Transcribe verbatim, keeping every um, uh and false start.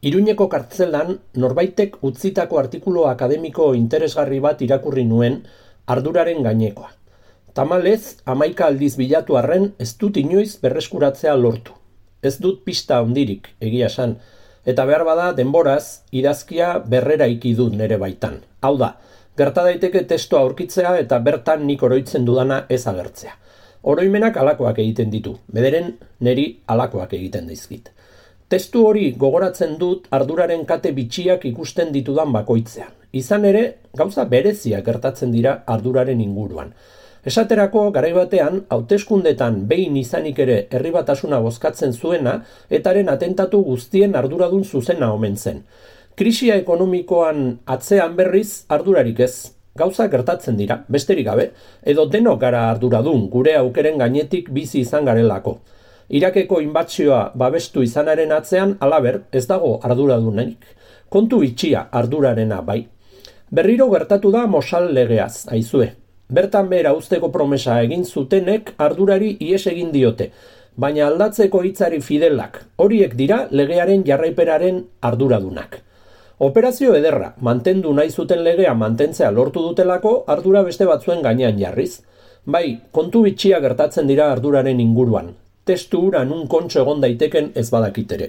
Iruñeko kartzelan norbaitek utzitako artikulu akademiko interesgarri bat irakurri nuen arduraren gainekoa. Tamalez, hamaika aldiz bilatu arren ez dut inoiz berreskuratzea lortu. Ez dut pista handirik, egia esan, eta behar bada denboraz idazkia berrera iki dut nere baitan. Hau da, gerta daiteke testoa aurkitzea eta bertan nik oroitzen dudana ez agertzea. Oroimenak alakoak egiten ditu, bederen neri alakoak egiten dizkit. Testu hori gogoratzen dut arduraren kate bitxiak ikusten ditudan bakoitzean. Izan ere, gauza bereziak gertatzen dira arduraren inguruan. Esaterako, garai batean, hauteskundetan behin izanik ere herri batasuna bozkatzen zuena, etaren atentatu guztien arduradun zuzena omen zen. Krisia ekonomikoan atzean berriz ardurarik ez. Gauza gertatzen dira, besterik gabe, edo denok gara arduradun gure aukeren gainetik bizi izan garelako. Irakeko inbatsioa babestu izanaren atzean, halaber, ez dago arduradunenik. Kontu itxia ardurarena bai. Berriro gertatu da Mosal legeaz, aizue. Bertan behera uzteko promesa egin zutenek ardurari ihes egin diote, baina aldatzeko hitzari fidelak, horiek dira legearen jarraiperaren arduradunak. Operazio ederra, mantendu nahi zuten legea mantentzea lortu dutelako ardura beste batzuen gainean jarriz. Bai, kontu bitxia gertatzen dira arduraren inguruan. Testu hura nun kontxo egon daiteken ez badakit ere.